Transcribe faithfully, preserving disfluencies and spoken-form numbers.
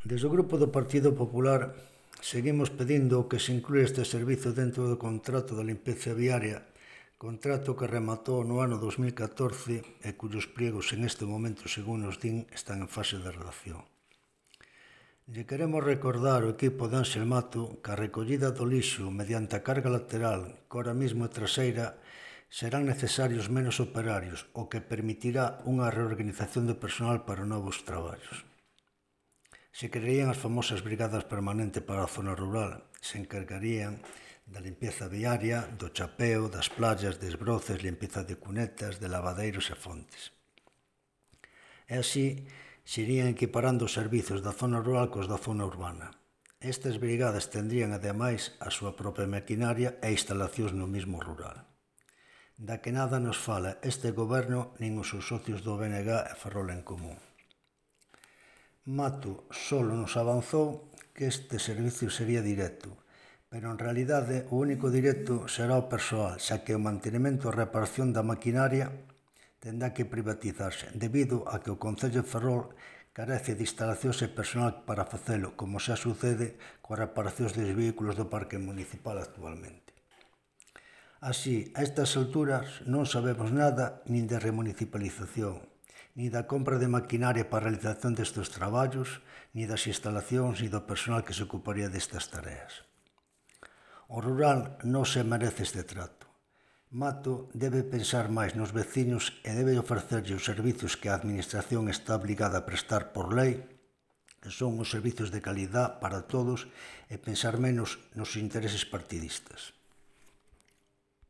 Desde o Grupo do Partido Popular seguimos pedindo que se inclúe este servizo dentro do contrato de limpeza viaria, contrato que rematou no ano dos mil catorce e cuyos pliegos en este momento, según nos din, están en fase de redacción. Lle queremos recordar ao equipo de Ángel Mato que a recollida do lixo mediante a carga lateral, que ahora mesmo é traseira, serán necesarios menos operarios, o que permitirá unha reorganización de personal para novos traballos. Se crearían as famosas brigadas permanentes para a zona rural, se encargarían da limpeza viaria, do chapeo, das playas, desbroces, limpeza de cunetas, de lavadeiros e fontes. E así se irían equiparando os servizos da zona rural cos da zona urbana. Estas brigadas tendrían, ademais, a súa propia maquinaria e instalacións no mismo rural. Da que nada nos fala este goberno nin os seus socios do B N G e Ferrol en Común. Mato solo nos avanzou que este servicio sería directo, pero en realidade o único directo será o persoal, xa que o mantenimento e a reparación da maquinaria tendrá que privatizarse, debido a que o Concello de Ferrol carece de instalacións e personal para facelo, como xa sucede coas reparacións dos vehículos do parque municipal actualmente. Así, a estas alturas non sabemos nada nin de remunicipalización, ni da compra de maquinaria para a realización destes traballos, ni das instalacións, ni do personal que se ocuparía destas tareas. O rural non se merece este trato. Mato debe pensar máis nos veciños e debe ofrecerlle os servizos que a Administración está obligada a prestar por lei, que son os servizos de calidad para todos, e pensar menos nos intereses partidistas.